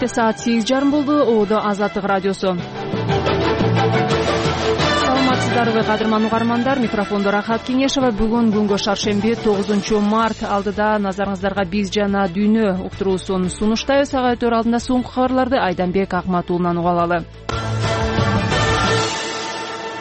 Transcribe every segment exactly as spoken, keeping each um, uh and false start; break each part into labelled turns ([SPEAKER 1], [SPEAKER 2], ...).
[SPEAKER 1] Кечте саат сегиз жарым болду. Ободо Азаттык радиосу. Саламатсыздарбы, кадырман угармандар? Микрофондо Рахат Кеңешова. Бүгүн күнгө шаршемби тогузунчу март. Алдыда назарыңыздарга биз жана дүйнө уктуруусун сунуштайбыз. Ага өтөр алдында соңку кабарларды Айданбек Акматуулунан уга алалы.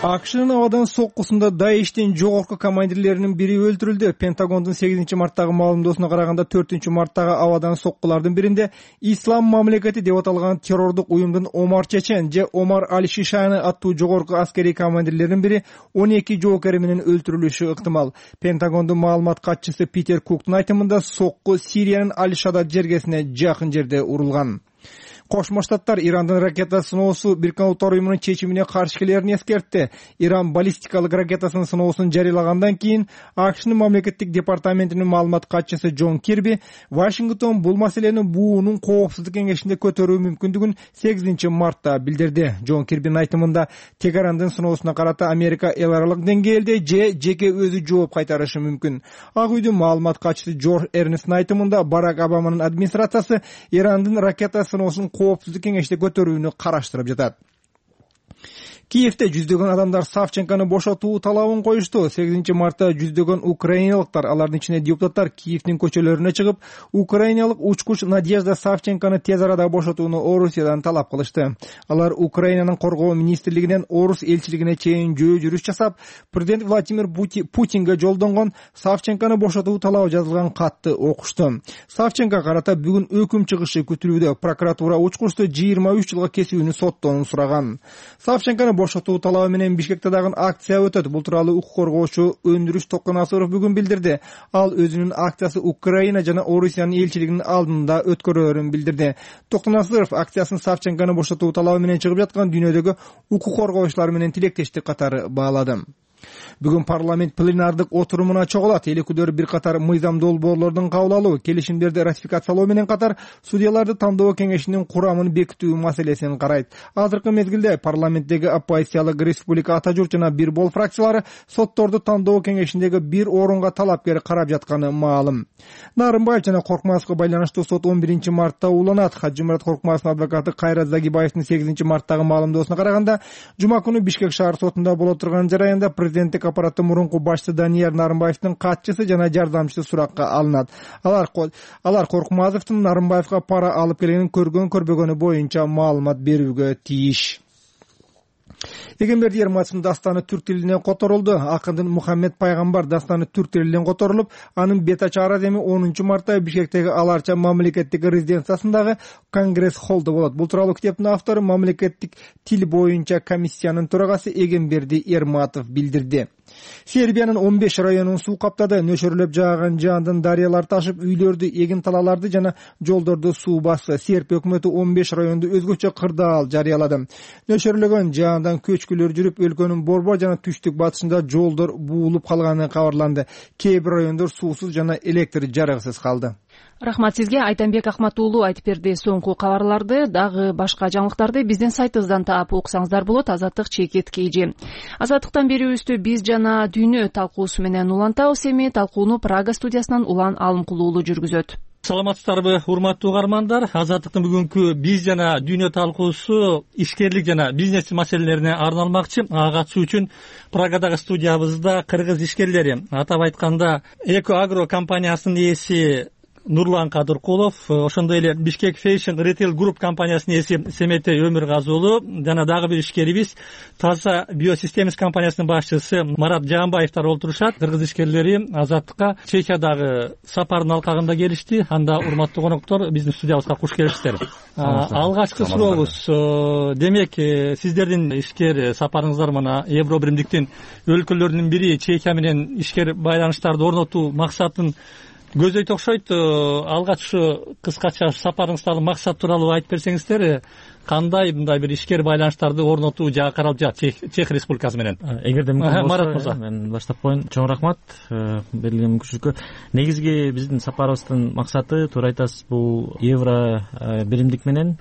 [SPEAKER 2] АКШнын абадан соккусунда Даиштин жогорку командирлеринин бири өлтүрүлдү. Пентагондун сегизинчи марттагы маалымдоосуна караганда төртүнчү марттагы абадан соккулардын биринде Ислам мамлекети деп аталган террордук уюмдун Омар Чечен же Омар Аль-Шишани аттуу жогорку аскерий командирлеринин бири он эки жоокери менен өлтүрүлүшү ыктымал. Пентагондун маалымат катчысы Питер Куктун айтымында сокку Сириянын Аль-Шадад жергесине жакын жерде урулган. Кошмо Штаттар Ирандын ракета сыноосу Бириккен Улуттар уюмунун чечимине каршы келерин эскертти. Иран баллистикалык ракетасынын сыноосун жарыялагандан кийин АКШнын мамлекеттик департаментинин маалымат катчысы Джон Кирби Вашингтон бул маселени буунун коопсуздук кеңешинде көтөрүү мүмкүндүгүн сегизинчи мартта билдирди. Джон Кирбинин айтымында Тегерандын сыноосуна карата Америка эл аралык деңгээлде же жеке өзү жооп кайтарышы мүмкүн. Ак үйдүн маалымат катчысы Джордж Эрнсттин айтымында Барак Обаманын администрациясы Ирандын ракета сыноосун коопсуздук кеңеште көтөрүүнү караштырып жатат. Киевде жүздөгөн адамдар Савченкону бошотуу талабын коюшту. сегизинчи мартта жүздөгөн украиналыктар, алардын ичинде депутаттар Киевдин көчөлөрүнө чыгып, украиналык учкуч Надежда Савченкону тез арада бошотууну Орусиядан талап кылышты. Алар Украинанын коргоо министрлигинен Орус элчилигине чейин жөө жүрүш жасап, президент Владимир Путинге жолдонгон Савченкону бошотуу талабы жазылган катты окушту. Савченко карата бүгүн өкүм чыгышы күтүлүүдө. Прокуратура учкучту жыйырма үч жылга кесүүнү соттоонун сураган. Савченкону бошотуу талабы менен Бишкекте дагы акция өтөт. Бул тууралуу укук коргоочу Өндүрүш Токонасыров бүгүн билдирди. Ал өзүнүн акциясы Украина жана Орусиянын элчилигинин алдында өткөрөөрүн билдирди. Токонасыров акциясын Савченкону бошотуу талабы менен чыгып жаткан дүйнөдөгү укук коргоочулар менен тилектештик катары баалады. Бүгүн парламент пленардык отурумуна чогулат. Эл өкүлдөрү бир катар мыйзам долбоорлордун кабыл алуу, келишимдерди ратификациялоо менен катар судьяларды тандоо кеңешинин курамын бекитүү маселесин карайт. Азыркы мезгилде парламенттеги оппозициялык Республика Ата журт жана Бир бол фракциялары сотторду тандоо кеңешиндеги бир орунга талапкер карап жатканы маалым. Нарымбаев жана Коркмазовго байланыштуу сот он биринчи мартта уланат. Хаджимурат Коркмазовдун адвокаты Кайрат Загибаевдин сегизинчи марттагы маалымдоосуна караганда, жума күнү Бишкек шаар сотунда боло турган жараянда президенттик аппараттын мурунку башчысы Данияр Нарымбаевдин катчысы жана жардамчысы суракка алынат. Алар алар Коркмазовдун Нарымбаевга пара алып келгенин көргөн көрбөгөнү боюнча маалымат берүүгө тийиш. Эгемберди Ерматовдун дастаны түрк тилине которулду. Акындын Мухаммед пайгамбар дастаны түрк тилинен которулуп, анын бет ачар адеми онунчу мартта Бишкектеги Аларча мамлекеттик резиденциясындагы Конгресс холлдо болот. Бул тууралуу китептин автору мамлекеттик тил боюнча комиссиянын төрагасы Эгемберди Ерматов билдирди. Сербиянын он беш районун суу каптады. Нөшөрлөп жааган жаандын дарыялар ташып, үйлөрдү, эгин талаларды жана жолдорду суу басты. Серб өкмөтү он беш районду өзгөчө кырдаал жарыялады. Нөшөрлөгөн жаандан көчкүлөр жүрүп, өлкөнүн борбор жана түштүк батышында жолдор буулуп калганы кабарланды. Кээ бир райондор суусуз жана электр жарыгысыз калды.
[SPEAKER 1] Рахмат сизге. Айданбек Акматуулу айтып берди. Соңку кабарларды, дагы башка жаңылыктарды биздин сайтыбыздан таап окусаңыздар болот. Азаттык чекит kg. Азаттыктан берүүбүздү биз жана дүйнө талкуусу менен улантабыз. Эми талкууну Прага студиясынан Улан Алымкулуулу жүргүзөт.
[SPEAKER 3] Саламатсыздарбы, урматтуу угармандар. Азаттыктын бүгүнкү биз жана дүйнө талкуусу ишкерлик жана бизнес маселелерине арналмакчы. Ага катышуу үчүн Прагадагы студиябызда кыргыз ишкерлери, атап айтканда Эко Агро компаниясынын ээси Нурлан Кадыркулов, ошондой эле Бишкек Fashion Retail Group компаниясынын ээси Семете Өмүргазы уулу жана дагы бир ишкерибиз Таза Биосистемис компаниясынын башчысы Марат Жаанбаевдер олтурушат. Кыргыз ишкерлери Азаттыкка Чехиядагы сапардын алкагында келишти. Анда урматтуу коноктор, биздин студиябызга куш келиптер. Алгачкы сурообуз, демек сиздердин ишкер сапарыңыздар мына Евро биримдиктин өлкөлөрүнүн бири Чехия менен ишкер байланыштарды орнотуу максатын көздөйт окшойт. Алгач ушу кыскача сапарыңыздагы максат тууралуу айтып берсеңиздер, кандай мындай бир ишкер байланыштарды орнотуу жагы каралып жатат Чех Республикасы менен?
[SPEAKER 4] Эгерде мүмкүн болсо, мен баштап коеюн. Чоң рахмат берилген мүмкүнчүлүккө. Негизги биздин сапарыбыздын максаты, туура айтасыз, бул евро биримдик менен,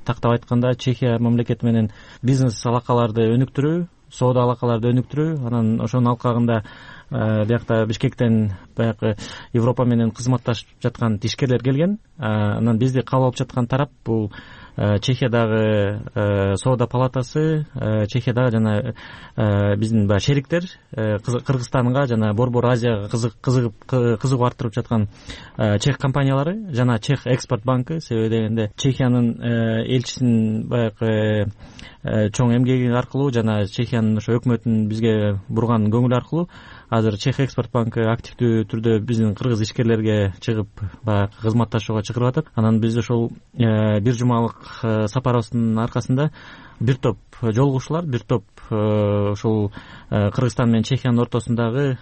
[SPEAKER 4] тактап айтканда Чехия мамлекети менен бизнес алакаларды өнүктүрүү, соода алакаларды өнүктүрүү, анан ошонун алкагында биякта Бишкектен баягы Европа менен кызматташып жаткан ишкерлер келген. Анан бизди кабыл алып жаткан тарап бул Чехиядагы соода палатасы, Чехиядагы жана биздин баягы шериктер, Кыргызстанга жана Борбор Азияга кызыгып кызыгуу арттырып жаткан чех компаниялары жана Чех экспорт банкы. Себеби дегенде Чехиянын элчисинин баягы чоң эмгеги аркылуу жана Чехиянын ошо өкмөтүнүн бизге бурган көңүлү аркылуу азыр Чех экспорт банкы активдүү түрдө биздин кыргыз ишкерлерге чыгып баягы кызматташууга чакырып атат. Анан биз ошол бир жумалык сапарыбыздын аркасында бир топ жолугушуулар, бир топ ошол Кыргызстан менен Чехиянын ортосундагы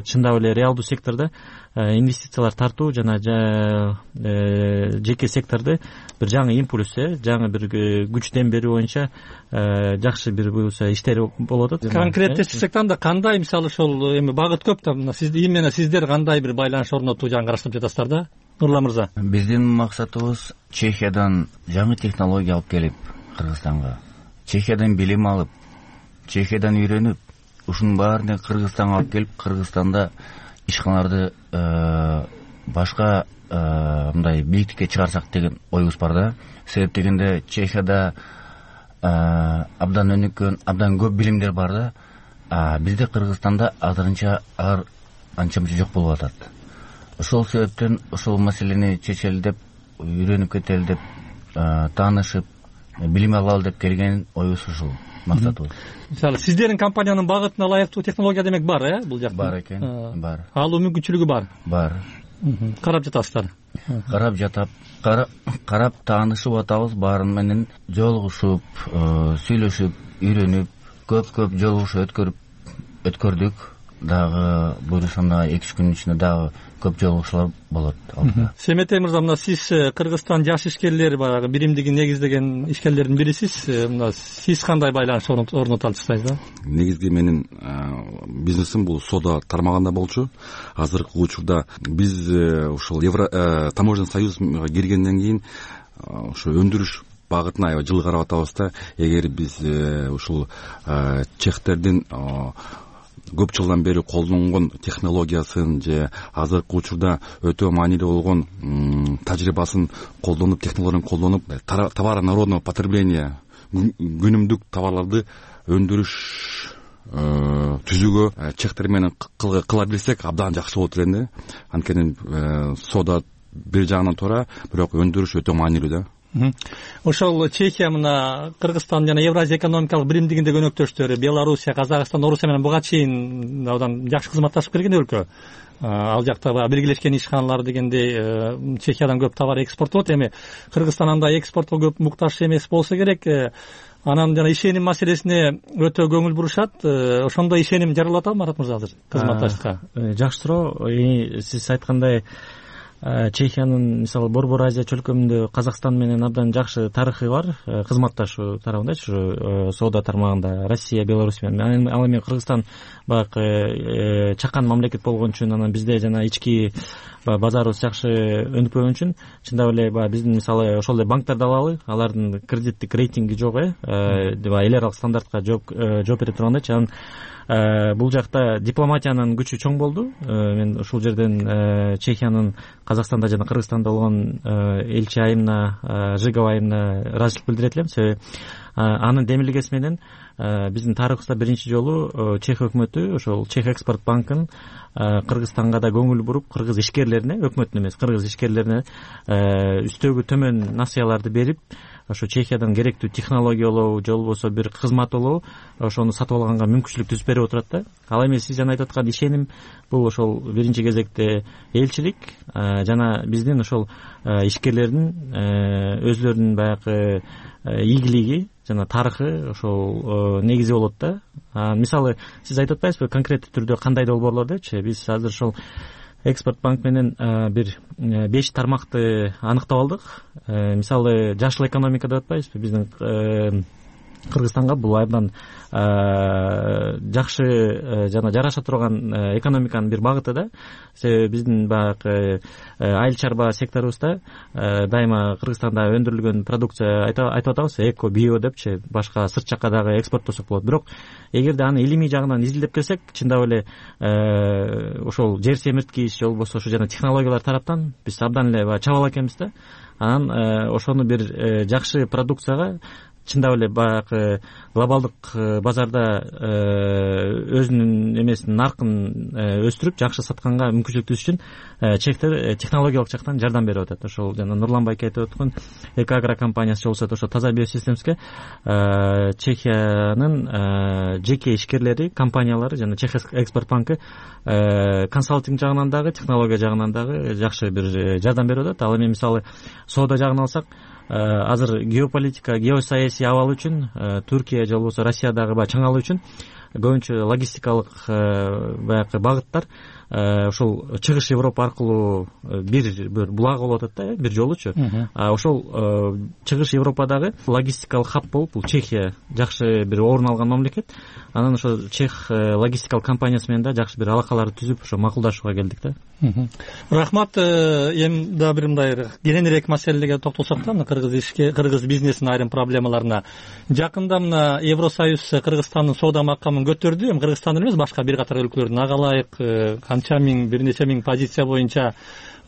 [SPEAKER 4] чындап эле реалдуу сектордо инвестициялар тартуу жана жеке секторду бир жаңы импульс, жаңы бир күч дем берүү боюнча жакшы бир буюрса иштер болуп атат.
[SPEAKER 3] Конкреттешсек анда кандай, мисалы ошол эми багыт көп да, сиз именно сиздер кандай бир байланыш орнотуу жагын караштырып жатасыздар да, Нурлан мырза?
[SPEAKER 5] Биздин максатыбыз Чехиядан жаңы технология алып келип Кыргызстанга, Чехиядан билим алып, Чехиядан үйрөнүп, ушунун баарын Кыргызстанга алып келип, Кыргызстанда ишканаларды башка мындай бийиктикке чыгарсак деген оюбуз бар да. Себеп дегенде Чехияда абдан өнүккөн, абдан көп билимдер бар да. Бизде Кыргызстанда азырынча алар анча мынча жок болуп атат. Ошол себептен ошол маселени чечели деп, үйрөнүп кетели деп, таанышып, билим алалы деп келген оюбуз ушул, максатыбыз.
[SPEAKER 3] Мисалы сиздердин компаниянын багытына ылайыктуу технология демек бар, э, бул жакта?
[SPEAKER 5] Бар экен, бар.
[SPEAKER 3] Алуу мүмкүнчүлүгү бар.
[SPEAKER 5] Бар.
[SPEAKER 3] Карап жатасыздар.
[SPEAKER 5] Карап жатап, карап таанышып атабыз, баарын менен жолугушуп, сүйлөшүп, үйрөнүп, көп-көп жолугушуу өткөрүп өткөрдүк. Дагы буюрса мына эки үч күнүн ичинде дагы көп жолугушуулар болот.
[SPEAKER 3] Семетей мырза, мына сиз Кыргызстан жаш ишкерлер баягы биримдигин негиздеген ишкерлердин бирисиз. Мына сиз кандай байланыш орното алчысыз да?
[SPEAKER 6] Негизги менин бизнесим бул соода тармагында болчу. Азыркы учурда биз ушул Евро таможенный союзга киргенден кийин ошо өндүрүш багытына аябай жылы карап атабыз да. Эгер биз ушул чехтердин көп жылдан бери колдонгон технологиясын же азыркы учурда өтө маанилүү болгон тажрыйбасын колдонуп, технологияларын колдонуп, товары народного потребления, күнүмдүк товарларды өндүрүш түзүүгө чехтер менен кыла билсек абдан жакшы болот эле да. Анткени соода бир жагынан туура, бирок өндүрүш өтө маанилүү да.
[SPEAKER 3] Ошол Чехия мына Кыргызстан жана Евразия экономикалык биримдигинде өнөктөштөрү Белоруссия, Казакстан, Орусия менен буга чейин абдан жакшы кызматташып келген өлкө. Ал жакта биргелешкен ишканалар дегенде Чехиядан көп товар экспорттолот. Эми Кыргызстан андай экспортко көп муктаж эмес болсо керек. Анан жана ишеним маселесине өтө көңүл бурушат. Ошондой ишеним жаралып атабы Марат мырза азыр кызматташыкка?
[SPEAKER 4] Жакшы суроо. Сиз айткандай Чехиянын мисалы Борбор Азия чөлкөмүндө Казакстан менен абдан жакшы тарыхы бар, кызматташуу тарабындачы, соода тармагында Россия, Беларусь менен. Ал эми Кыргызстан баягы чакан мамлекет болгон үчүн, анан бизде жана ички базарыбыз жакшы өнүкпөгөн үчүн чындап эле баягы биздин мисалы ошол эле банктарды алалы, алардын кредиттик рейтинги жок, э, эл аралык стандартка жооп бере тургандайчы. Анан бул жакта дипломатиянын күчү чоң болду. Мен ушул жерден Чехиянын Казакстанда жана Кыргызстанда болгон элчи айымына, Жигова айымына ыраазычылык билдирет элем. Себеби анын демилгеси менен биздин тарыхыбызда биринчи жолу Чех өкмөтү ошол Чех экспорт банкын Кыргызстанга да көңүл буруп, кыргыз ишкерлерине, өкмөттүн эмес, кыргыз ишкерлерине үстөгү төмөн насыяларды берип, ошо Чехиядан керектүү технологиялоо же болбосо бир кызмат алуу, ошону сатып алганга мүмкүнчүлүк түзүп берип отурат да. Ал эми сиз жана айтып аткан ишеним бул ошол биринчи кезекте элчилик жана биздин ошол ишкерлердин өзлөрүнүн баягы ийгилиги жана тарыхы ошол негизи болот да. Мисалы сиз айтып атпайсызбы конкреттүү түрдө кандай долбоорлор депчи? Биз азыр ошол экспорт банк менен бир беш тармакты аныктап алдык. Мисалы жашыл экономика деп атпайбызбы? Биздин Кыргызстанга бул абдан жакшы жана жараша турган экономиканын бир багыты да. Себеби биздин баягы айыл чарба секторубузда дайыма Кыргызстанда өндүрүлгөн продукция айтып атабыз эко, био депчи, башка сырт жакка дагы экспорттосок болот. Бирок эгерде аны илимий жагынан изилдеп келсек, чындап эле ошол жер семирткич же болбосо ушу жана технологиялар тараптан биз абдан эле чабала экенбиз да. Анан ошону бир жакшы продукцияга чындап эле баягы глобалдык базарда өзүнүн эмесин наркын өстүрүп жакшы сатканга мүмкүнчүлүк түзүш үчүн чектер технологиялык жактан жардам берип атат. Ошол жана Нурлан байке айтып өткөн Экоагро компаниясы же болбосо ошо таза биосистемске Чехиянын жеке ишкерлери, компаниялары жана Чех экспорт банкы консалтинг жагынан дагы, технология жагынан дагы жакшы бир жардам берип атат. Ал эми мисалы соода жагын алсак, азыр геополитика, геосаясий абал үчүн Түркия же болбосо Россиядагы баягы чаңалуу үчүн көбүнчө логистикалык баягы багыттар ошол чыгыш Европа аркылуу бир бир булак болуп атат да, бир жолучу. Ошол чыгыш Европадагы логистикалык хаб болуп бул Чехия жакшы бир орун алган мамлекет. Анан ошо Чех логистикалык компаниясы менен да жакшы бир алакаларды түзүп ошо макулдашууга келдик да.
[SPEAKER 3] Рахмат. Эми дагы бир мындай кененирээк маселелерге токтолсок да, кыргыз ишке, кыргыз бизнесинин айрым проблемаларына. Жакында мына Евросоюз Кыргызстандын соода макамын көтөрдү. Эми Кыргызстан эле эмес, башка бир катар өлкөлөрдүн ага ылайык канча миң, бир нече миң позиция боюнча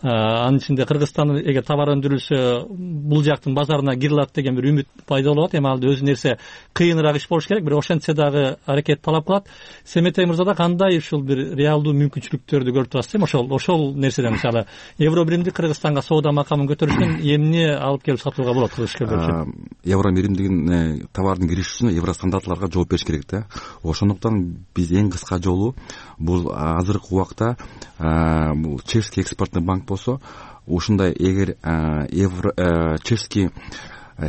[SPEAKER 3] анын ичинде Кыргызстан эгер товар өндүрүлсө бул жактын базарына кире алат деген бир үмүт пайда болуп атат. Эми ал өзү нерсе кыйыныраак иш болуш керек, бирок ошентсе дагы аракет талап кылат. Семетей мырза да кандай ушул бир реалдуу мүмкүнчүлүктөрдү көрүп турасыз эми ошол ошол нерседен мисалы евро биримдик Кыргызстанга соода макамын көтөрүшүнөн эмне алып келип сатууга болот кыргыз ишкерлер үчүн?
[SPEAKER 6] Евро биримдигине товардын кириши үчүн евро стандарттарга жооп бериш керек да. Ошондуктан биз эң кыска жолу бул азыркы убакта бул Чешский экспортный банк болсо, ушундай эгер евро чешский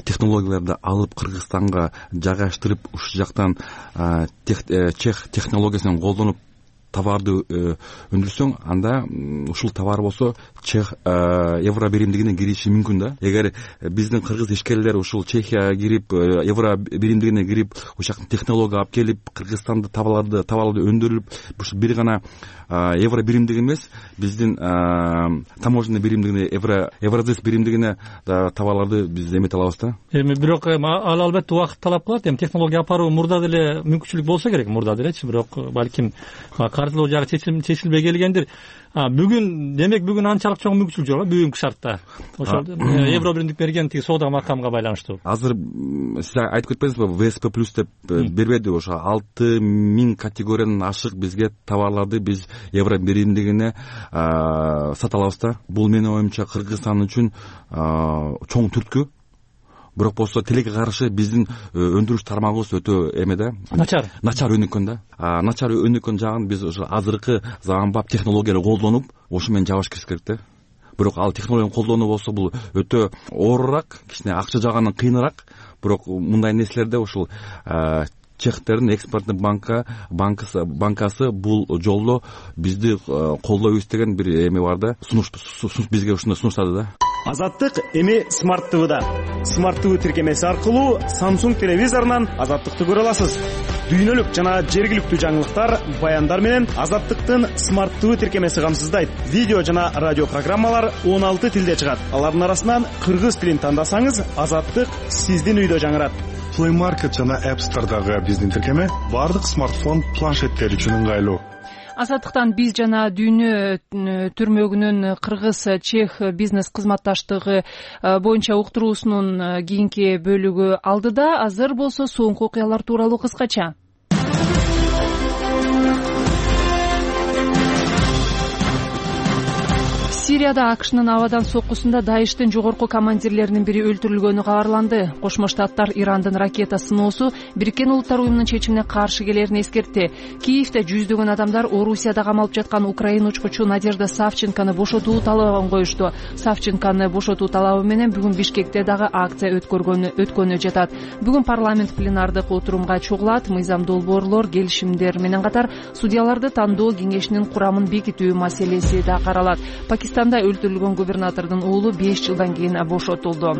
[SPEAKER 6] технологияларды алып Кыргызстанга жайгаштырып, ушул жактан чех технологиясын колдонуп товарды өндүрсөң, анда ушул товар болсо Чех евро биримдигине кириши мүмкүн да. Эгер биздин кыргыз ишкерлер ушул Чехияга кирип, евро биримдигине кирип, ушул жактан технология алып келип, Кыргызстанда товарларды товарларды өндүрүп, ушул бир гана евро биримдиги эмес, биздин таможенный биримдигине, евро еврозис биримдигине товарларды биз эмете алабыз да. Эми
[SPEAKER 3] бирок ал албетте убакыт талап кылат. Эми технология апаруу мурда деле мүмкүнчүлүк болсо керек, мурда делечи, бирок балким каржылоо жагы чечилбей келгендир. Бүгүн демек бүгүн анчалык чоң мүмкүнчүлүк жок бүгүнкү шартта. Ошол евро биримдик берген тиги соода макамга байланыштуу.
[SPEAKER 6] Азыр сиз айтып кетпедиңизби, вэ эс пэ плюс деп бербеди, ошо алты миң категориядан ашык бизге товарларды биз евро биримдигине сата алабыз да. Бул менин оюмча Кыргызстан үчүн чоң түрткү. Бирок болсо тилекке каршы биздин өндүрүш тармагыбыз өтө эме да, начар начар өнүккөн да. Начар өнүккөн жагын биз ошо азыркы заманбап технологияларды колдонуп ошу менен жабыш керек да. Бирок ал технологияны колдонуу болсо бул өтө оорураак, кичине акча жагынан кыйыныраак. Бирок мындай нерселерде ушул Чехтердин экспорттук банка банкасы банкасы бул жолдо бизди колдойбуз деген бир эме бар да. Сунуш бизге ушундай сунуштады да.
[SPEAKER 7] Азаттык эми смарт ТВда. Смарт ТВ тиркемеси аркылуу Samsung телевизорунан Азаттыкты көрө аласыз. Дүйнөлүк жана жергиликтүү жаңылыктар, баяндар менен Азаттыктын смарт ТВ тиркемеси камсыздайт. Видео жана радио программалар он алты тилде чыгат. Алардын арасынан кыргыз тилин тандасаңыз, Азаттык сиздин үйдө жаңырат.
[SPEAKER 8] Play Market жана App Store'дагы биздин тиркеме бардык смартфон, планшеттер үчүн ыңгайлуу.
[SPEAKER 1] Азаттыктан биз жана дүйнө түрмөгүнүн кыргыз чех бизнес кызматташтыгы боюнча уктуруусунун кийинки бөлүгү алдыда. Азыр болсо соңку окуялар тууралуу кыскача. Сирияда АКШнын абадан соккусунда Даиштин жогорку командирлеринин бири өлтүрүлгөнү кабарланды. Кошмо Штаттар Ирандын ракета сыноосу Бириккен Улуттар уюмунун чечимине каршы келерин эскертти. Киевде жүздөгөн адамдар Орусияда камалып жаткан украин учкучу Надежда Савченкону бошотуу талабын коюшту. Савченкону бошотуу талабы менен бүгүн Бишкекте дагы акция өткөргөнү өткөнү жатат. Бүгүн парламент пленардык отурумга чогулат. Мыйзам долбоорлор, келишимдер менен катар судьяларды тандоо кеңешинин курамын бекитүү маселеси да каралат. Пакистанда өлтүрүлгөн губернатордун уулу беш жылдан кийин бошотулду.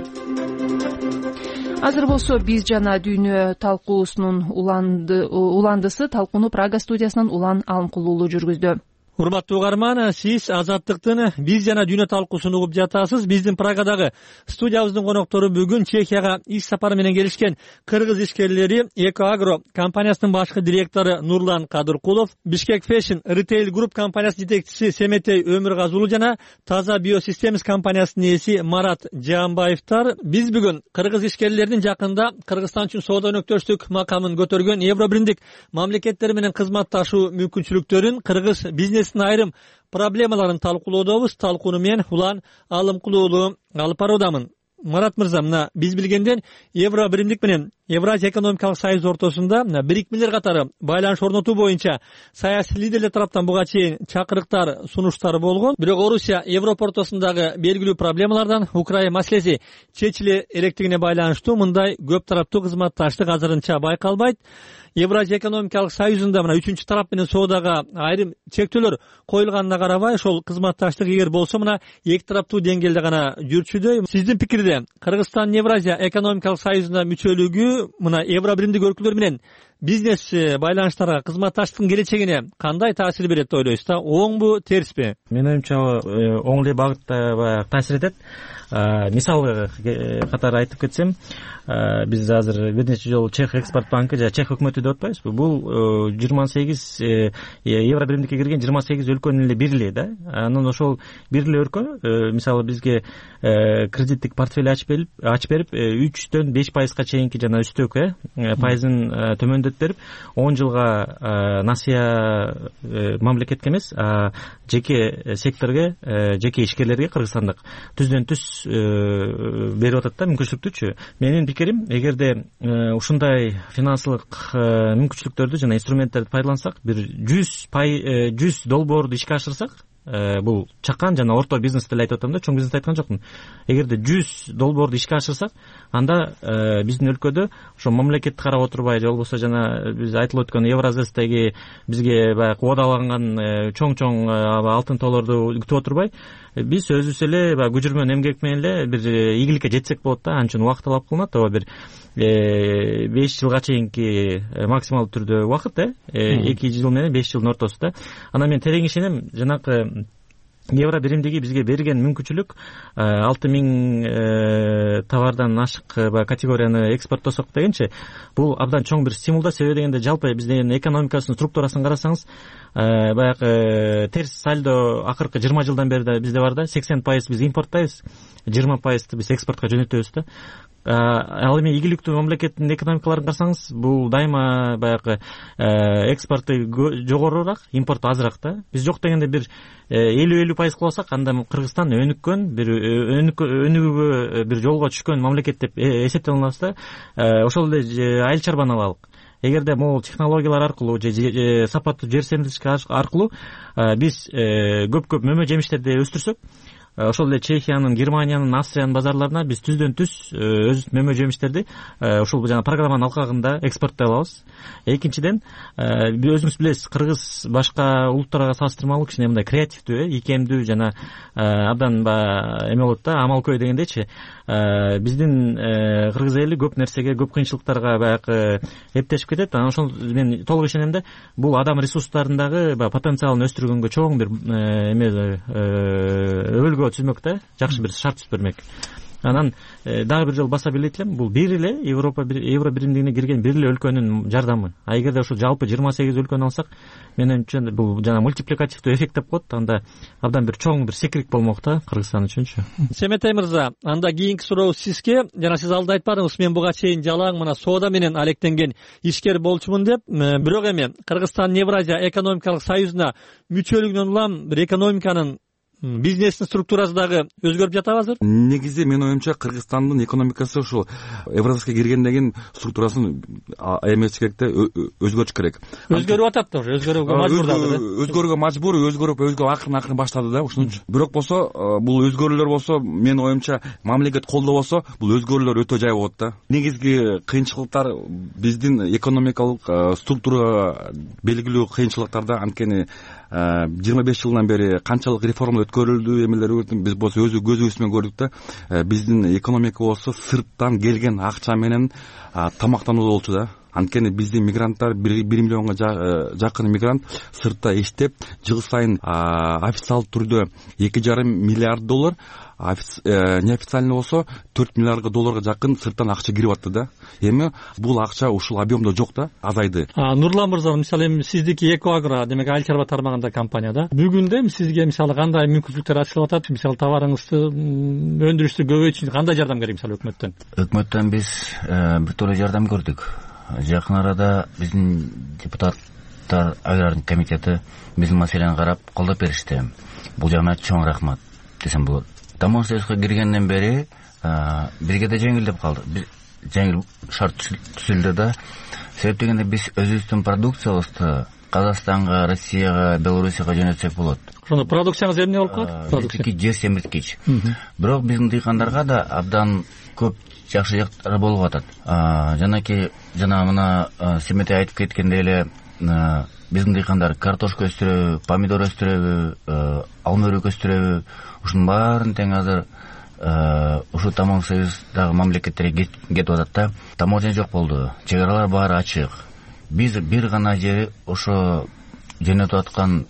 [SPEAKER 1] азыр болсо биз жана дүйнө талкуусунун уландысы талкууну Прага студиясынан Улан Алымкул уулу жүргүздү.
[SPEAKER 3] Урматтуу угарман, сиз Азаттыктын биз жана дүйнө талкуусун угуп жатасыз. Биздин Прагадагы студиябыздын коноктору бүгүн Чехияга иш сапары менен келишкен кыргыз ишкерлери Экоагро компаниясынын башкы директору Нурлан Кадыркулов, Бишкек Fashion Retail Group компаниясынын жетекчиси Семетей Өмүргазы уулу жана Таза Биосистемис компаниясынын ээси Марат Жаамбаевтар. Биз бүгүн кыргыз ишкерлеринин жакында Кыргызстан үчүн соода өнөктөштүк макамын көтөргөн Евро биримдик мамлекеттер менен кызматташуу мүмкүнчүлүктөрүн, кыргыз бизнес айрым проблемаларын талкуулоодобуз. Талкууну мен Улан Алымкул уулу алып баруудамын. Марат мырза, мына биз билгенден Евро биримдик менен Евразия экономикалык союз ортосунда бирикмелер катары байланыш орнотуу боюнча саясий лидерлер тараптан буга чейин чакырыктар, сунуштар болгон. Бирок Орусия Европа ортосундагы белгилүү проблемалардан Украина маселеси чечиле электигине байланыштуу мындай көп тараптуу кызматташтык азырынча байкалбайт. Евразия экономикалык союзунда мына үчүнчү тарап менен соодага айрым чектөөлөр коюлганына карабай, ошол кызматташтык эгер болсо мына эки тараптуу деңгээлде гана жүрчүдөй. Сиздин пикирде Кыргызстан Евразия экономикалык союзуна мүчөлүгү мына Евро биримдик өлкөлөр менен бизнес байланыштарга, кызматташтыктын келечегине кандай таасир берет деп ойлойсуз да? Оңбу, терсби?
[SPEAKER 4] Менин оюмча оң эле багытта баягы таасир этет. Мисал катары айтып кетсем, биз азыр бир нече жолу Чех экспорт банкы жана Чех өкмөтү деп атпайбызбы? Бул жыйырма сегиз Евро биримдикке кирген жыйырма сегиз өлкөнүн эле бири эле да. Анан ошол бир эле өлкө мисалы бизге кредиттик портфель ачып берип үчтөн беш пайызга чейинки жана үстөкү пайызын төмөндөтүп берип он жылга насыя мамлекетке эмес, жеке секторго, жеке ишкерлерге кыргызстандык түздөн түз берип атат да мүмкүнчүлүктүчү. Менин пикирим, эгерде ушундай финансылык мүмкүнчүлүктөрдү жана инструменттерди пайдалансак, бир жүз жүз долбоорду ишке ашырсак, бул чакан жана орто бизнести эле айтып атам да, чоң бизнес айткан жокмун. Эгерде жүз долбоорду ишке ашырсак, анда биздин өлкөдө ошо мамлекетти карап отурбай, же болбосо жана биз айтылып өткөн Евразэстеги бизге баягы убадаланган чоң-чоң алтын тоолорду күтүп отурбай, биз өзүбүз эле баягы күжүрмөн эмгек менен эле бир ийгиликке жетсек болот да. Анча убакыт талап кылынат, ооба бир беш жылга чейинки максималдуу түрдө убакыт, э эки жыл менен беш жылдын ортосунда. Анан мен терең ишенем, жанакы Евро биримдиги бизге берген мүмкүнчүлүк алты миң товардан ашык категорияны экспорттосок дегенчи, бул абдан чоң бир стимул да. Себеби дегенде жалпы биздин экономикасынын структурасын карасаңыз, баягы терс сальдо акыркы жыйырма жылдан бери да бизде бар да. сексен пайыз биз импорттайбыз, жыйырма пайызды биз экспортко жөнөтөбүз да. Ал эми ийгиликтүү мамлекеттин экономикаларын карасаңыз, бул дайыма баягы экспорту жогорураак, импорту азыраак да. Биз жок дегенде бир элүү элүү пайыз кылсак, анда Кыргызстан өнүккөн, бир өнүгүүгө бир жолго түшкөн мамлекет деп эсептей алабыз да. Ошол эле айыл чарбаны алалык. Эгерде могул технологиялар аркылуу же сапаттуу жер семиртиш аркылуу биз көп-көп мөмө жемиштерди өстүрсөк, ошол эле Чехиянын, Германиянын, Австриянын базарларына биз түздөн түз өзүбүздүн мөмө жемиштерди ошол жана программанын алкагында экспорттой алабыз. Экинчиден, өзүңүз билесиз, кыргыз башка улуттарга салыштырмалуу кичине мындай креативдүү, ийкемдүү жана абдан эме болот да, амалкөй дегендейчи. Биздин кыргыз эли көп нерсеге, көп кыйынчылыктарга баягы эптешип кетет. Анан ошол мен толук ишенем да, бул адам ресурстарындагы потенциалын өстүргөнгө чоң бир эме өлгө түзмөк да, жакшы бир шарт түзүп бермек. Анан дагы бир жолу баса белгилейт элем, бул бир эле Европа Евро биримдигине кирген бир эле өлкөнүн жардамы. А эгерде ошол жалпы жыйырма сегиз өлкөнү алсак, менимче бул жана мультипликативдүү эффект деп коет. Анда абдан бир чоң бир секирик болмок да Кыргызстан үчүнчү.
[SPEAKER 3] Семетей мырза, анда кийинки суроо сизге. Жана сиз алда айтпадыңыз, мен буга чейин жалаң мына соода менен алектенген ишкер болчумун деп. Бирок эми Кыргызстан Евразия экономикалык союзуна мүчөлүгүнөн улам бир экономиканын, бизнестин структурасы дагы өзгөрүп жатабы азыр?
[SPEAKER 6] Негизи менин оюмча Кыргызстандын экономикасы ушул Евразияга киргенден кийин структурасын эмес керек да, өзгөртүш керек.
[SPEAKER 3] Өзгөрүп атат да, өзгөрүүгө мажбур дагы.
[SPEAKER 6] Өзгөрүүгө мажбур, өзгөрүп өзгө акырын акырын баштады да, ушунчу. Бирок болсо, бул өзгөрүүлөр болсо, менин оюмча мамлекет колдоо болсо, бул өзгөрүүлөр өтө жай болот да. Негизги кыйынчылыктар биздин экономикалык структурага белгилүү кыйынчылыктарда, анткени жыйырма беш жылдан бери канчалык реформа өткөрүлдү, эмелер биз болсо өзү көзүбүз менен көрдүк да. Биздин экономика болсо сырттан келген акча менен тамактануу болчу да. Анткени биздин мигранттар бир миллионго жакын мигрант сыртта иштеп, жыл сайын официалдуу түрдө эки жарым миллиард доллар, неофициальный болсо төрт миллиардга долларга жакын сырттан акча кирип атты да. Эми бул акча ушул объемдо жок да, азайды.
[SPEAKER 3] Нурлан мырза, мисалы эми сиздики Экоагро, демек айыл чарба тармагында компания да. Бүгүндө сизге мисалы кандай мүмкүнчүлүктөр ачылып атат? Мисалы товарыңызды өндүрүштү көбөйтүү үчүн кандай жардам керек мисалы өкмөттөн?
[SPEAKER 5] Өкмөттөн биз бир топ жардам көрдүк. Жакын арада биздин депутаттар агрардык комитети биздин маселени карап колдоп беришти. Бул жагына чоң рахмат десем болот. Таможня союзга киргенден бери бизге да жеңилдеп калды. Жеңил шарт түзүлдү да. Себеп дегенде биз өзүбүздүн продукциябызды Казакстанга, Россияга, Белоруссияга жөнөтсөк болот.
[SPEAKER 3] Ошондо продукцияңыз эмне болуп калат?
[SPEAKER 5] Продукция жер семирткич. Бирок биздин дыйкандарга да абдан көп жакшы жактары болуп атат. Жанаки жана мына Семетей айтып кеткендей эле биздин дыйкандар картошка өстүрөбү, помидор өстүрөбү, алма өрүк өстүрөбү, ушунун баарын тең азыр ушу Таможня союздагы мамлекеттерге кетип атат да. Таможня жок болду, чек аралар баары ачык. Биз бир гана жери ошо жөнөтүп аткан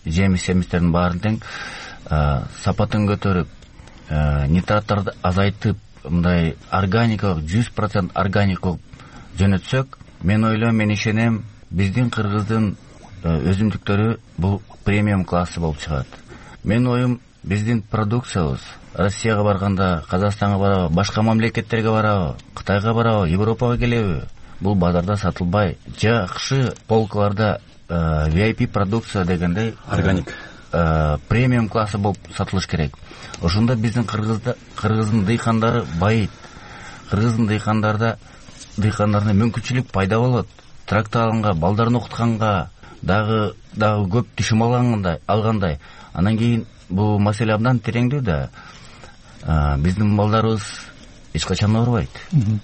[SPEAKER 5] жемиш семистердин баарын тең сапатын көтөрүп, нитраттарды азайтып, мындай органикалык жүз процент органикалык жөнөтсөк, мен ойлойм, мен ишенем, биздин кыргыздын өзүмдүктөрү бул премиум классы болуп чыгат. Мен оюм, биздин продукциябыз Россияга барганда, Казакстанга барабы, башка мамлекеттерге барабы, Кытайга барабы, Европага келеби, бул базарда сатылбай, жакшы полкаларда ви ай пи продукция дегендей
[SPEAKER 6] органик
[SPEAKER 5] премиум классы болуп сатылыш керек. Ошондо биздин кыргыздын дыйкандары байыйт. Кыргыздын дыйкандарда дыйкандарына мүмкүнчүлүк пайда болот. Трактор алганга, балдарын окутканга, дагы дагы көп түшүм алгандай, алгандай. Анан кийин бул маселе абдан тереңдүү да. Биздин балдарыбыз эч качан оорубайт.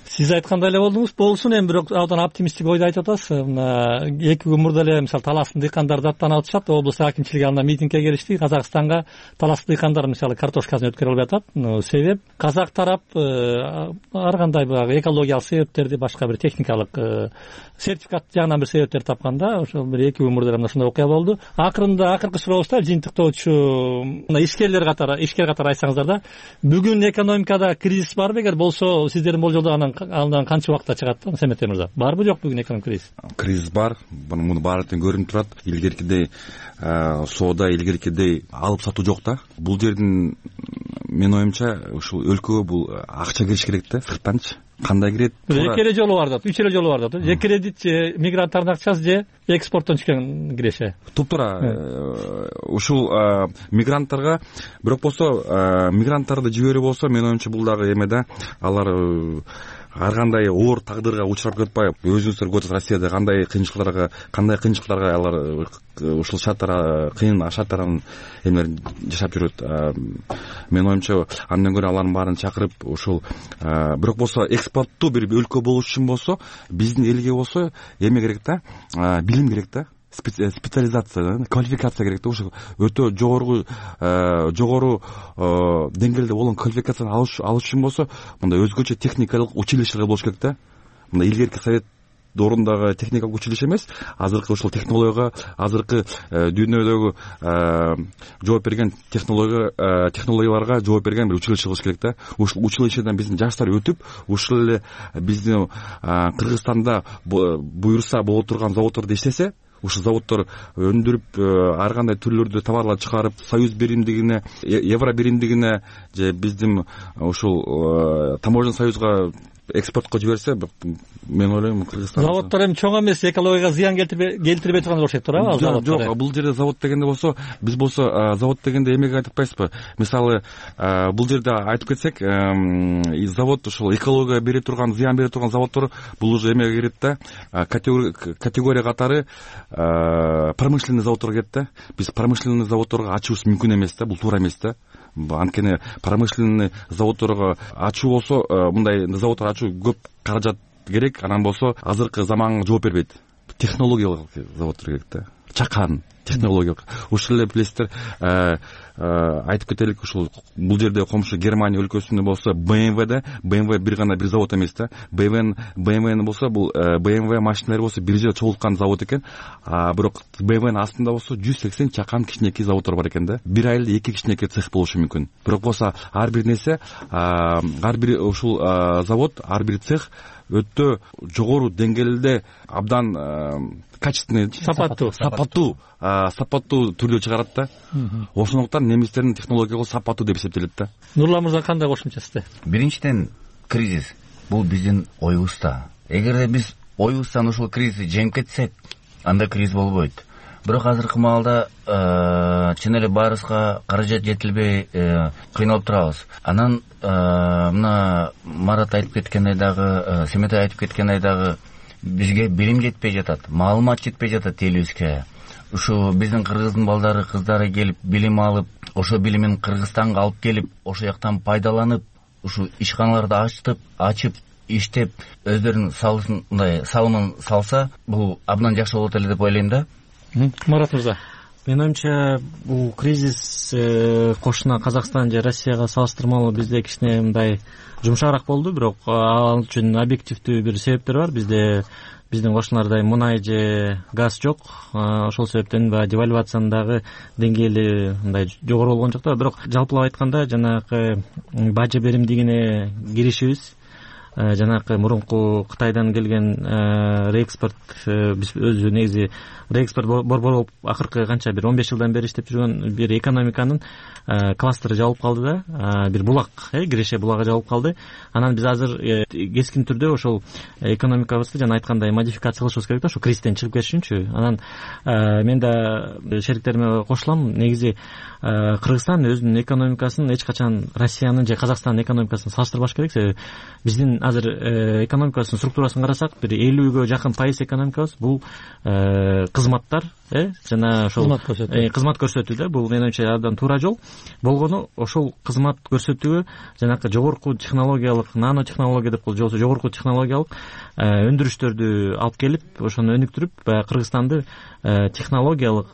[SPEAKER 3] Сиз айткандай эле болдуңуз, болсун, эми бирок абдан оптимисттик ойду айтып атасыз. Мына эки күн мурда эле мисалы Таластын дыйкандары даттанып атышат, облус акимчилиги анда митингге келишти. Казакстанга Талас дыйкандары мисалы картошкасын өткөрө албай атат. Себеп казак тарап ар кандай баягы экологиялык себептерди, башка бир техникалык сертификат жагынан бир себептер тапканда, ошол бир эки күн мурда эле ушундай окуя болду. Акырында акыркы сурообузда жыйынтыктоочу мына ишкерлер катары, ишкер катары айтсаңыздар да, бүгүн экономикада кризис барбы? Эгер болсо, сиздердин болжолдогондан андан канча убакытта чыгат, Семетей мырза? Барбы, жок бүгүн экономик кризис?
[SPEAKER 6] Кризис бар, муну баары тең көрүнүп турат. Илгеркидей соода, илгеркидей алып сатуу жок да. Бул жердин менин оюмча ушул өлкөгө бул акча кириш керек да, сырттанчы. Кандай кирет?
[SPEAKER 3] Эки эле жолу бар да, үч эле жолу бар да. Же кредит, же мигранттардын акчасы, же экспорттон түшкөн киреше.
[SPEAKER 6] Туптура ушул мигранттарга, бирок болсо мигранттарды жиберүү болсо, менин оюмча бул дагы эме да, алар ар кандай оор тагдырга учурап кетпай, өзүңүздөр көрүп Россияда кандай кыйынчылыктарга, кандай кыйынчылыктарга алар ушул шарттар, кыйын шарттарын эмелер жашап жүрөт. Менин оюмча андан көрө алардын баарын чакырып, ушул бирок болсо экспорттуу бир өлкө болуш үчүн болсо, биздин элге болсо эме керек да, билим керек да. Специализация, квалификация керек да. Ошо өтө жогору жогору деңгээлде болгон квалификацияны алыш үчүн болсо, мындай өзгөчө техникалык училищелер болуш керек да. Мындай илгерки совет доорундагы техникалык училище эмес, азыркы ушул технологияга, азыркы дүйнөдөгү жооп берген технология технологияларга жооп берген бир училище болуш керек да. Ушул училищеден биздин жаштар өтүп, ушул эле биздин Кыргызстанда буюрса боло турган заводдордо иштесе, ушул заводдор өндүрүп, ар кандай түрлөрдө товарлар чыгарып, союз биримдигине, евро биримдигине, же биздин ушул Таможня союзга экспортко жиберсе, мен ойлойм, Кыргызстан
[SPEAKER 3] заводдор эми чоң эмес, экологияга зыян келтирбей турган болуш керек туурабы?
[SPEAKER 6] Жок, жок, бул жерде завод дегенде болсо, биз болсо завод дегенде эмеге айтып атпайсызбы? Мисалы, бул жерде айтып кетсек, завод ушул экологияга бере турган, зыян бере турган заводдор бул уже эмеге кирет да, категория катары промышленный заводдорго кирет да. Биз промышленный заводдорго ачуубуз мүмкүн эмес да, бул туура эмес да. Анткени промышленный заводдорго ачуу болсо, мындай заводдор ачуу көп каражат керек, анан болсо азыркы заманга жооп бербейт. технологиялык заводдор керек да, чакан технологиялык. Ушул эле билесиздер, айтып кетелик, ушул бул жерде комшу Германия өлкөсүндө болсо бэ эм вэ бэ эм вэ бир гана бир завод эмес да. бэ эм вэ болсо бул бэ эм вэ машиналары болсо бир жерде чогулткан завод экен. А бирок бэ эм вэнин астында болсо жүз сексен чакан кичинекей заводдор бар экен да. Бир айылда эки кичинекей цех болушу мүмкүн. Бирок болсо ар бир нерсе, ар бир ушул завод, ар бир цех өтө жогору деңгээлде абдан качественный,
[SPEAKER 3] сапаттуу
[SPEAKER 6] сапаттуу сапаттуу түрдө чыгарат да. Ошондуктан немистердин технологиялык сапаттуу деп эсептелет да.
[SPEAKER 3] Нурлан мырза, кандай кошумчасы?
[SPEAKER 5] Биринчиден, кризис бул биздин оюбузда. Эгерде биз оюбуздан ушул кризисти жеңип кетсек, анда кризис болбойт. Бирок азыркы маалда чын эле баарыбызга каражат жетилбей кыйналып турабыз. Анан мына Марат айтып кеткендей дагы, Семетай айтып кеткендей дагы, бизге билим жетпей жатат, маалымат жетпей жатат элибизге. Ушу биздин кыргыздын балдары, кыздары келип билим алып, ошо билимин Кыргызстанга алып келип, ошо жактан пайдаланып, ушу ишканаларды ачтып, ачып, иштеп, өздөрүнүн салымын, мындай салымын салса, бул абдан жакшы болот эле деп ойлойм да.
[SPEAKER 3] Марат мырза,
[SPEAKER 4] менин оюмча, бул кризис кошуна Казакстан же Россияга салыштырмалуу бизде кичине мындай жумшагыраак болду, бирок ал үчүн объективдүү бир себептер бар. Бизде биздин кошуналарда мунай же газ жок. Ошол себептен баягы девальвациянын дагы деңгээли мындай жогору болгон жок да. Бирок жалпылап айтканда, жанагы бажы беримдигине киришибиз, жанагы мурунку Кытайдан келген реэкспорт, биз өзү негизи реэкспорт борбор болуп акыркы канча бир он беш жылдан бери иштеп жүргөн бир экономиканын кластеры жабылып калды да, бир булак, Киреше булагы жабылып калды. Анан биз азыр кескин түрдө ошол экономикабызды жана айткандай модификация кылышыбыз керек да, ошо кризистен чыгып кетиш үчүнчү. Анан мен да шериктериме кошулам. Негизи Кыргызстан өзүнүн экономикасын эч качан Россиянын же Казакстандын экономикасын салыштырбаш керек. Себеби биздин азыр экономикасынын структурасын карасак, бир элүүгө жакын пайыз экономикабыз бул кызматтар, жана ошол кызмат көрсөтүү да. Бул менин оюмча абдан туура жол болгону, ошол кызмат көрсөтүүгө жанагы жогорку технологиялык, нано технология деп коет, же болбосо жогорку технологиялык өндүрүштөрдү алып келип, ошону өнүктүрүп, баягы Кыргызстанды технологиялык,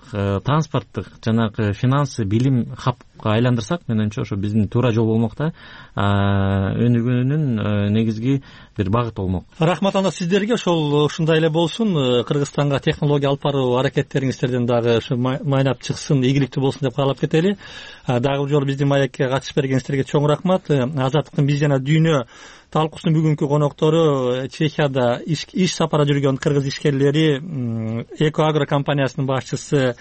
[SPEAKER 4] транспорттук, жанагы финансы, билим хабка айландырсак, менин оюмча ошо биздин туура жол болмок да, өнүгүүнүн негизги бир багыт болмок.
[SPEAKER 3] Рахмат анда сиздерге. Ошол ушундай эле болсун. Кыргызстанга технология алып баруу аракеттериңиздерден дагы ушу майнап чыксын, ийгиликтүү болсун деп каалап кетели. Дагы бул жолу биздин маекке катышып бергениңиздерге чоң рахмат. Азаттыктын биз жана дүйнө талкуусунун бүгүнкү коноктору Чехияда иш сапара жүргөн кыргыз ишкерлери, Экоагро компаниясынын башчысы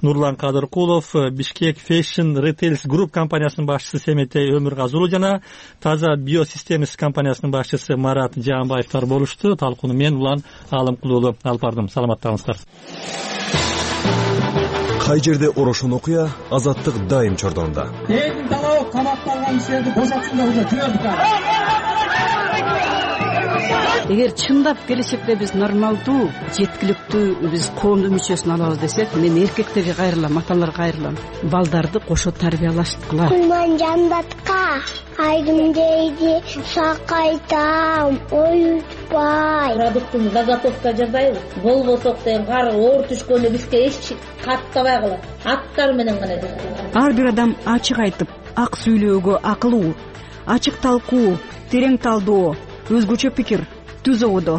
[SPEAKER 3] Нурлан Кадыркулов, Бишкек Fashion Retails Group компаниясынын башчысы Семетей Өмүргазы жана Таза Биосистемис компаниясынын башчысы Марат Жаанбаевтар болушту. Талкууну мен Улан Алымкулуулу алып бардым. Саламаттаңыздар.
[SPEAKER 9] Кай жерде орошон окуя, азаттык дайым чордонда.
[SPEAKER 10] Элдин талабы каматталган кишилерди бошотсундар, уже жүрөбүз.
[SPEAKER 11] Эгер чындап келечекте биз нормалдуу, жеткиликтүү биз коомдун мүчөсүн алабыз десек, мен эркектерге кайрылам, аталарга кайрылам. Балдарды кошо тарбиялашткыла.
[SPEAKER 12] Кулман жандатка айдым дейди, сакайтам, оютпай.
[SPEAKER 13] Продуктун заготовка жасайбыз. Болбосок деген кар оор түшкөндө бизге эч каттабай калат. Аттар менен гана жасайбыз.
[SPEAKER 14] Ар бир адам ачык айтып, ак сүйлөөгө акылуу, ачык талкуу, терең талдоо, өзгөчө пикир түзөбүдө.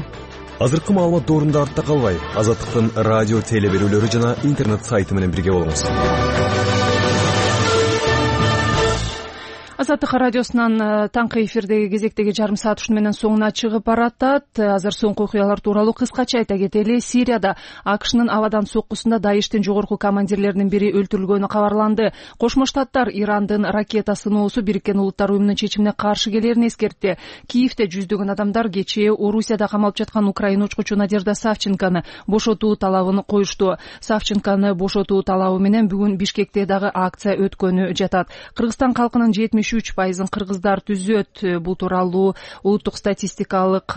[SPEAKER 9] Азыркы маалымат доорунда артта калбай, Азаттыктын радио теле берүүлөрү жана интернет сайты менен бирге болуңуз.
[SPEAKER 1] Азаттык радиосунан таңкы эфирдеги кезектеги жарым саат ушуну менен соңуна чыгып баратат. Азыр соңку окуялар тууралуу кыскача айта кетели. Сирияда АКШнын абадан соккусунда Даиштин жогорку командирлеринин бири өлтүрүлгөнү кабарланды. Кошмо Штаттар Ирандын ракета сыноосу Бириккен Улуттар уюмунун чечимине каршы келерин эскертти. Киевде жүздөгөн адамдар кечээ Орусияда камалып жаткан Украина учкучу Надежда Савченкону бошотуу талабын коюшту. Савченкону бошотуу талабы менен бүгүн Бишкекте дагы акция өткөнү жатат. Кыргызстан калкынын жетимиш жетимиш үч пайызын кыргыздар түзөт. Бул тууралуу улуттук статистикалык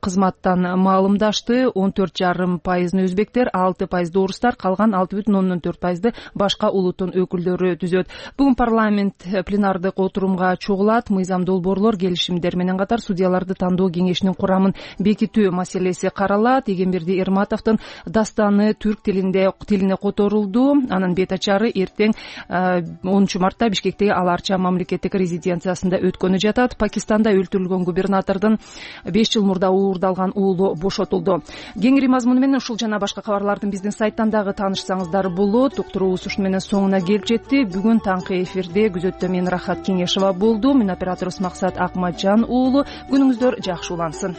[SPEAKER 1] кызматтан маалымдашты. он төрт жарым пайызын өзбектер, алты пайызды орустар, калган алты бүтүн ондон төрт пайызды башка улуттун өкүлдөрү түзөт. Бүгүн парламент пленардык отурумга чогулат. Мыйзам долбоорлор, келишимдер менен катар судьяларды тандоо кеңешинин курамын бекитүү маселеси каралат. Эгемберди Эрматовдун дастаны түрк тилинде тилине которулду. Анын бет ачары эртең онунчу мартта Бишкектеги Ал Арча мамлекеттик резиденциясында өткөнү жатат. Пакистанда өлтүрүлгөн губернатордун беш жыл мурда уурдалган уулу бошотулду. Кеңири мазмуну менен ушул жана башка кабарлардын биздин сайттан дагы таанышсаңыздар болот. Уктуруубуз ушуну менен соңуна келип жетти. Бүгүн таңкы эфирде күзөттө мен Рахат Кеңешова болду. Мен операторубуз Максат Акматжан уулу. Күнүңүздөр жакшы улансын.